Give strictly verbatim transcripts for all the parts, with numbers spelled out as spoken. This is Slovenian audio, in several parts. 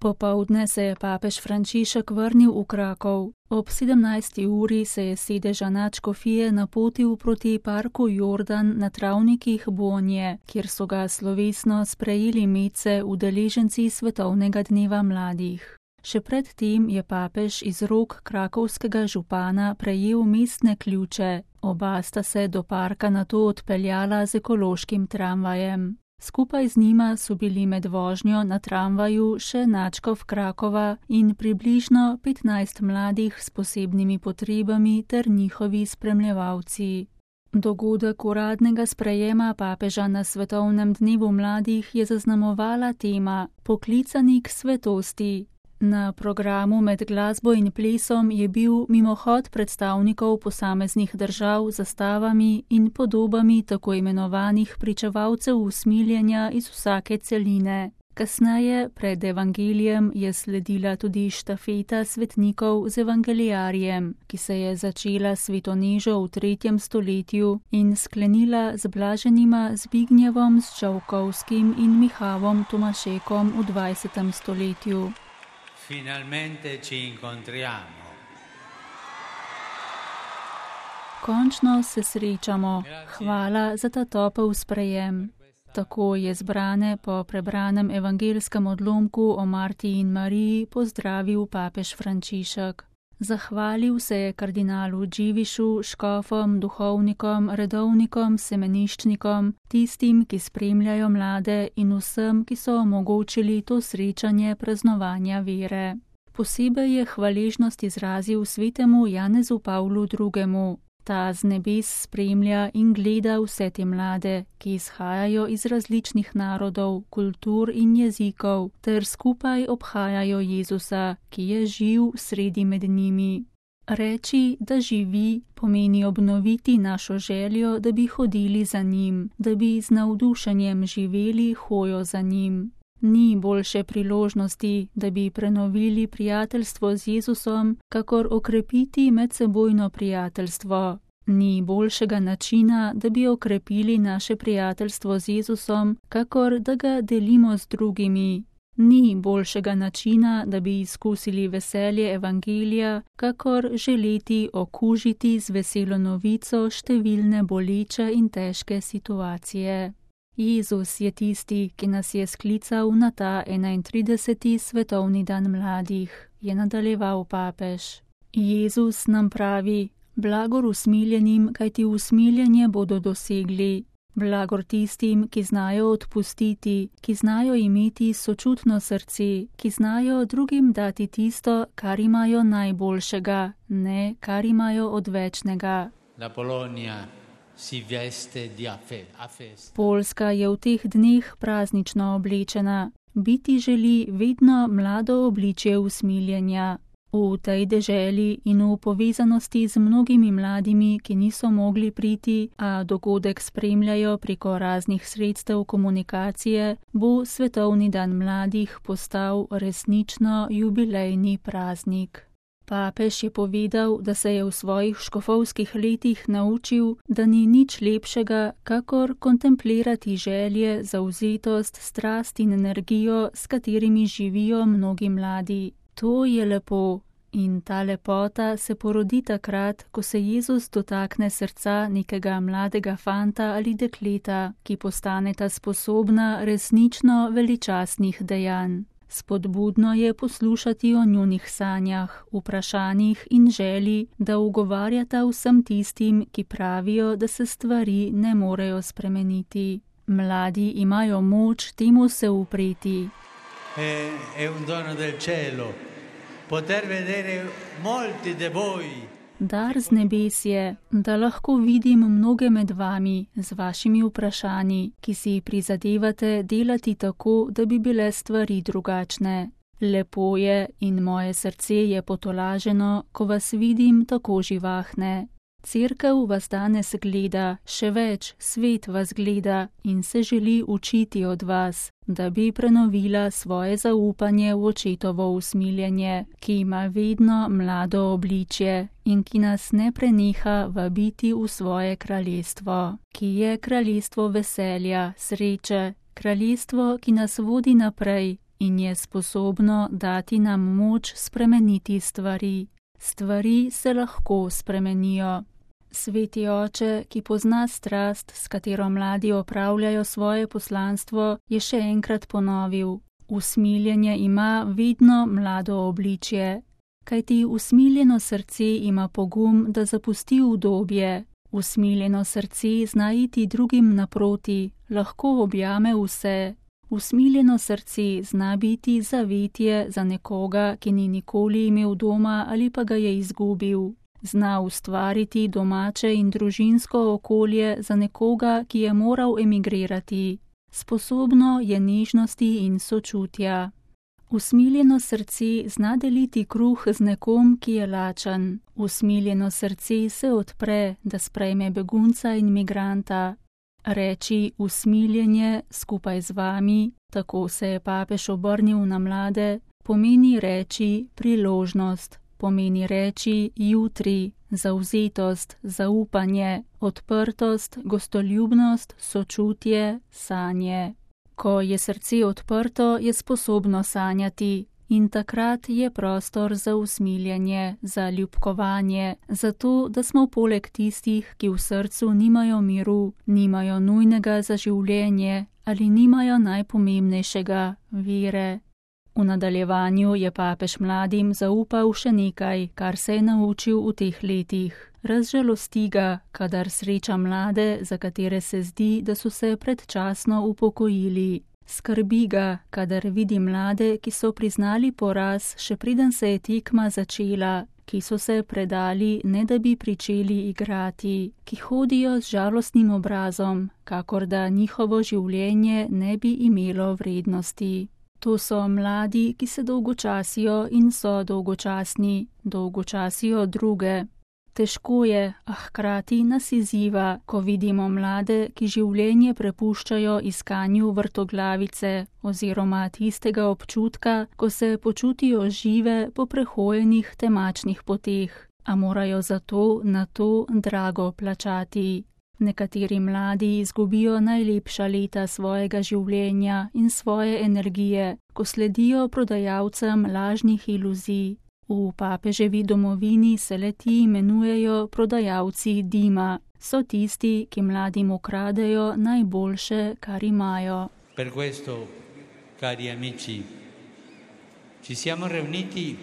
Popoldne se je papež Frančišek vrnil v Krakov. Ob sedemnajsti uri se je s sedeža nadškofije napotil proti parku Jordan na travnikih Bonje, kjer so ga slovesno sprejeli medse udeleženci Svetovnega dneva mladih. Še pred tem je papež iz rok krakovskega župana prejel mestne ključe, oba sta se do parka nato odpeljala z ekološkim tramvajem. Skupaj z njima so bili med vožnjo na tramvaju še nadškof Krakova in približno petnajst mladih s posebnimi potrebami ter njihovi spremljevalci. Dogodek uradnega sprejema papeža na Svetovnem dnevu mladih je zaznamovala tema Poklicani k svetosti. Na programu med glasbo in plesom je bil mimohod predstavnikov posameznih držav z zastavami in podobami tako imenovanih pričevalcev usmiljenja iz vsake celine. Kasneje, pred evangelijem, je sledila tudi štafeta svetnikov z evangelijarjem, ki se je začela svetonežo v tretjem stoletju in sklenila z blaženima Zbignjevom Sčovkovskim in Mihavom Tomašekom v dvajsetem stoletju. Finalmente ci incontriamo. Končno se srečamo. Hvala za ta topel sprejem. Tako je zbrane po prebranem evangelskem odlomku o Marti in Mariji pozdravil papež Frančišek. Zahvalil se je kardinalu Dživišu, škofom, duhovnikom, redovnikom, semeniščnikom, tistim, ki spremljajo mlade in vsem, ki so omogočili to srečanje praznovanja vere. Posebej je hvaležnost izrazil svetemu Janezu Pavlu drugemu. Ta z nebes spremlja in gleda vse te mlade, ki izhajajo iz različnih narodov, kultur in jezikov, ter skupaj obhajajo Jezusa, ki je živ sredi med njimi. Reči, da živi, pomeni obnoviti našo željo, da bi hodili za njim, da bi z navdušenjem živeli hojo za njim. Ni boljše priložnosti, da bi prenovili prijateljstvo z Jezusom, kakor okrepiti medsebojno prijateljstvo. Ni boljšega načina, da bi okrepili naše prijateljstvo z Jezusom, kakor da ga delimo z drugimi. Ni boljšega načina, da bi izkusili veselje evangelija, kakor želeti okužiti z veselo novico številne boleče in težke situacije. Jezus je tisti, ki nas je sklical na ta enaintrideseti svetovni dan mladih, je nadaljeval papež. Jezus nam pravi: blagor usmiljenim, kajti usmiljenje bodo dosegli. Blagor tistim, ki znajo odpustiti, ki znajo imeti sočutno srce, ki znajo drugim dati tisto, kar imajo najboljšega, ne kar imajo odvečnega. La Polonia si veste di festa. Poljska je v teh dneh praznično oblečena. Biti želi vedno mlado obličje usmiljenja. V tej deželi in v povezanosti z mnogimi mladimi, ki niso mogli priti, a dogodek spremljajo preko raznih sredstev komunikacije, bo Svetovni dan mladih postal resnično jubilejni praznik. Papež je povedal, da se je v svojih škofovskih letih naučil, da ni nič lepšega, kakor kontemplirati želje, zavzetost, strast in energijo, s katerimi živijo mnogi mladi. To je lepo in ta lepota se porodi takrat, ko se Jezus dotakne srca nekega mladega fanta ali dekleta, ki postaneta sposobna resnično veličastnih dejanj. Spodbudno je poslušati o njunih sanjah, vprašanjih in želji, da ugovarjata vsem tistim, ki pravijo, da se stvari ne morejo spremeniti. Mladi imajo moč temu se upreti. È, è un dono del cielo poter vedere molti de voi. Dar z nebes je, da lahko vidim mnoge med vami z vašimi vprašanji, ki si prizadevate delati tako, da bi bile stvari drugačne. Lepo je in moje srce je potolaženo, ko vas vidim tako živahne. Cerkev vas danes gleda, še več, svet vas gleda in se želi učiti od vas, da bi prenovila svoje zaupanje v očetovo usmiljenje, ki ima vedno mlado obličje in ki nas ne preneha vabiti v svoje kraljestvo, ki je kraljestvo veselja, sreče, kraljestvo, ki nas vodi naprej in je sposobno dati nam moč spremeniti stvari. Stvari se lahko spremenijo. Sveti oče, ki pozna strast, s katero mladi opravljajo svoje poslanstvo, je še enkrat ponovil: usmiljenje ima vedno mlado obličje, kajti usmiljeno srce ima pogum, da zapusti udobje. Usmiljeno srce zna iti drugim naproti, lahko objame vse. Usmiljeno srce zna biti zavetje za nekoga, ki ni nikoli imel doma ali pa ga je izgubil. Zna ustvariti domače in družinsko okolje za nekoga, ki je moral emigrirati. Sposobno je nežnosti in sočutja. Usmiljeno srce zna deliti kruh z nekom, ki je lačen. Usmiljeno srce se odpre, da sprejme begunca in migranta. Reči usmiljenje skupaj z vami, tako se je papež obrnil na mlade, pomeni reči priložnost, pomeni reči jutri, zavzetost, zaupanje, odprtost, gostoljubnost, sočutje, sanje. Ko je srce odprto, je sposobno sanjati in takrat je prostor za usmiljenje, za ljubkovanje, zato da smo poleg tistih, ki v srcu nimajo miru, nimajo nujnega za življenje ali nimajo najpomembnejšega, vere. V nadaljevanju je papež mladim zaupal še nekaj, kar se je naučil v teh letih. Razžalosti ga, kadar sreča mlade, za katere se zdi, da so se predčasno upokojili. Skrbi ga, kadar vidi mlade, ki so priznali poraz, še preden se je tekma začela, ki so se predali, ne da bi pričeli igrati, ki hodijo z žalostnim obrazom, kakor da njihovo življenje ne bi imelo vrednosti. To so mladi, ki se dolgočasijo in so dolgočasni, dolgočasijo druge. Težko je, a hkrati nas izziva, ko vidimo mlade, ki življenje prepuščajo iskanju vrtoglavice oziroma tistega občutka, ko se počutijo žive po prehojenih temačnih poteh, a morajo zato na to drago plačati. Nekateri mladi izgubijo najlepša leta svojega življenja in svoje energije, ko sledijo prodajalcem lažnih iluzij. V papeževi domovini se le-ti imenujejo prodajalci dima. So tisti, ki mladim ukradejo najboljše, kar imajo. Per questo, cari amici, ci siamo riuniti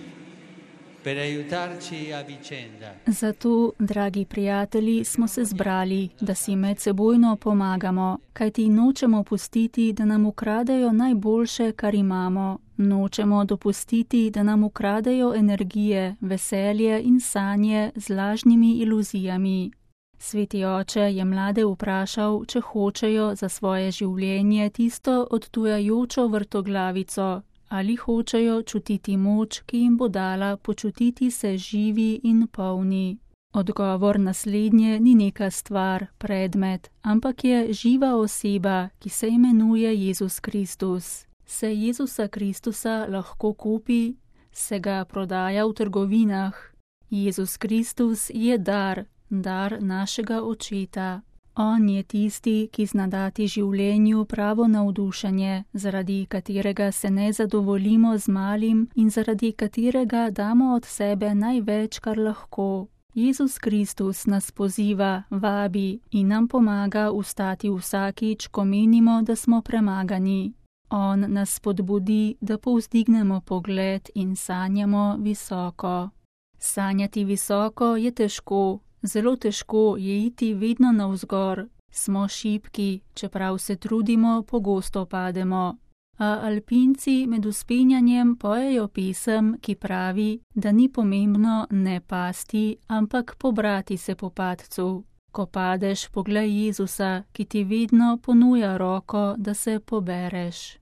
per aiutarci a vicenda. Zato, dragi prijatelji, smo se zbrali, da si medsebojno pomagamo, kajti nočemo pustiti, da nam ukradejo najboljše, kar imamo. Nočemo dopustiti, da nam ukradejo energije, veselje in sanje z lažnimi iluzijami. Sveti oče je mlade vprašal, če hočejo za svoje življenje tisto odtujajočo vrtoglavico, ali hočejo čutiti moč, ki jim bo dala počutiti se živi in polni. Odgovor naslednje ni neka stvar, predmet, ampak je živa oseba, ki se imenuje Jezus Kristus. Se Jezusa Kristusa lahko kupi, se ga prodaja v trgovinah. Jezus Kristus je dar, dar našega Očeta. On je tisti, ki zna dati življenju pravo navdušenje, zaradi katerega se ne zadovoljimo z malim in zaradi katerega damo od sebe največ, kar lahko. Jezus Kristus nas poziva, vabi in nam pomaga ustati vsakič, ko menimo, da smo premagani. On nas spodbudi, da povzdignemo pogled in sanjamo visoko. Sanjati visoko je težko, zelo težko je iti vedno navzgor. Smo šibki, čeprav se trudimo, pogosto pademo. A alpinci med vzpenjanjem pojejo pesem, ki pravi, da ni pomembno ne pasti, ampak pobrati se po padcu. Ko padeš, poglej Jezusa, ki ti vedno ponuja roko, da se pobereš.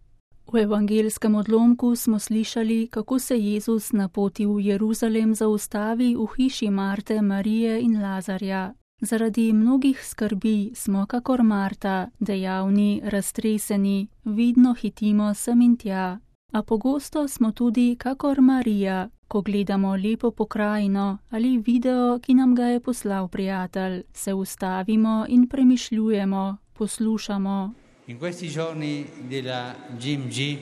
V evangelskem odlomku smo slišali, kako se Jezus na poti v Jeruzalem zaustavi v hiši Marte, Marije in Lazarja. Zaradi mnogih skrbi smo kakor Marta, dejavni, raztreseni, vidno hitimo sem in tja. A pogosto smo tudi kakor Marija, ko gledamo lepo pokrajino ali video, ki nam ga je poslal prijatelj, se ustavimo in premišljujemo, poslušamo. In questi giorni della G M G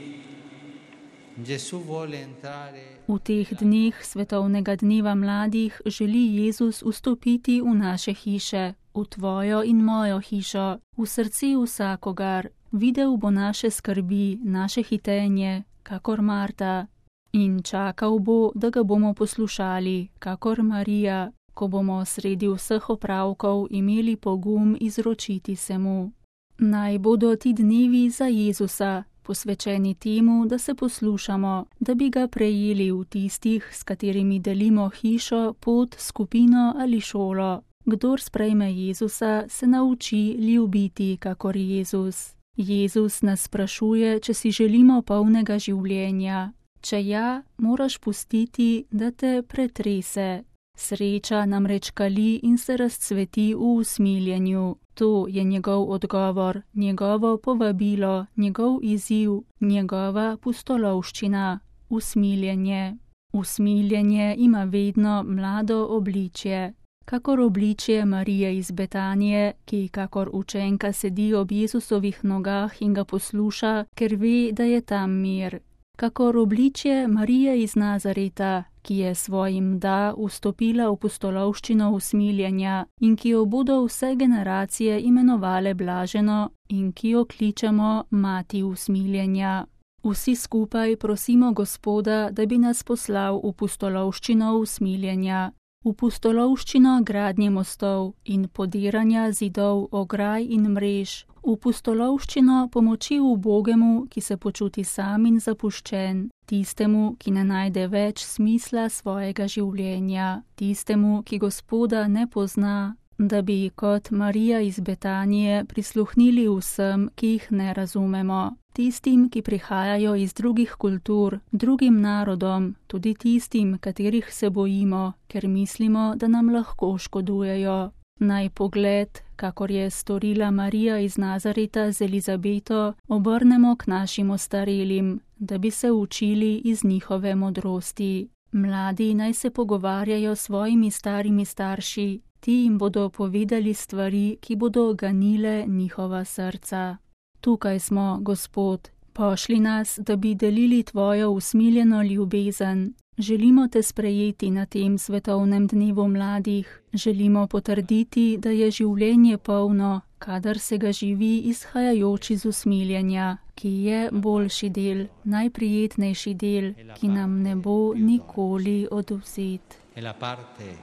V teh dneh svetovnega dneva mladih želi Jezus vstopiti v naše hiše, v tvojo in mojo hišo, v srce vsakogar. Videl bo naše skrbi, naše hitenje, kakor Marta. In čakal bo, da ga bomo poslušali, kakor Marija, ko bomo sredi vseh opravkov imeli pogum izročiti se mu. Naj bodo ti dnevi za Jezusa, posvečeni temu, da se poslušamo, da bi ga prejeli v tistih, s katerimi delimo hišo, pot, skupino ali šolo. Kdor sprejme Jezusa, se nauči ljubiti, kakor Jezus. Jezus nas sprašuje, če si želimo polnega življenja. Če ja, moraš pustiti, da te pretrese. Sreča namreč kali in se razcveti v usmiljenju. To je njegov odgovor, njegovo povabilo, njegov izziv, njegova pustolovščina, usmiljenje. Usmiljenje ima vedno mlado obličje. Kakor obličje Marije iz Betanije, ki kakor učenka sedi ob Jezusovih nogah in ga posluša, ker ve, da je tam mir. Kakor obličje Marije iz Nazareta, ki je svojim da vstopila v pustolovščino usmiljenja in ki jo bodo vse generacije imenovale blaženo in ki jo kličemo mati usmiljenja. Vsi skupaj prosimo Gospoda, da bi nas poslal v pustolovščino usmiljenja. V pustolovščino gradnje mostov in podiranja zidov, ograj in mrež, v pustolovščino pomoči ubogemu, ki se počuti sam in zapuščen, tistemu, ki ne najde več smisla svojega življenja, tistemu, ki Gospoda ne pozna, da bi kot Marija iz Betanije prisluhnili vsem, ki jih ne razumemo, tistim, ki prihajajo iz drugih kultur, drugim narodom, tudi tistim, katerih se bojimo, ker mislimo, da nam lahko škodujejo. Naj pogled, kakor je storila Marija iz Nazareta z Elizabeto, obrnemo k našim ostarelim, da bi se učili iz njihove modrosti. Mladi naj se pogovarjajo s svojimi starimi starši, ti jim bodo povedali stvari, ki bodo ganile njihova srca. Tukaj smo, Gospod, pošli nas, da bi delili tvojo usmiljeno ljubezen. Želimo te sprejeti na tem svetovnem dnevu mladih. Želimo potrditi, da je življenje polno, kadar se ga živi izhajajoč iz usmiljenja, ki je boljši del, najprijetnejši del, ki nam ne bo nikoli odvzet. È la parte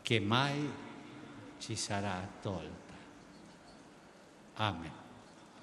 che mai ci sarà tolta. Amen.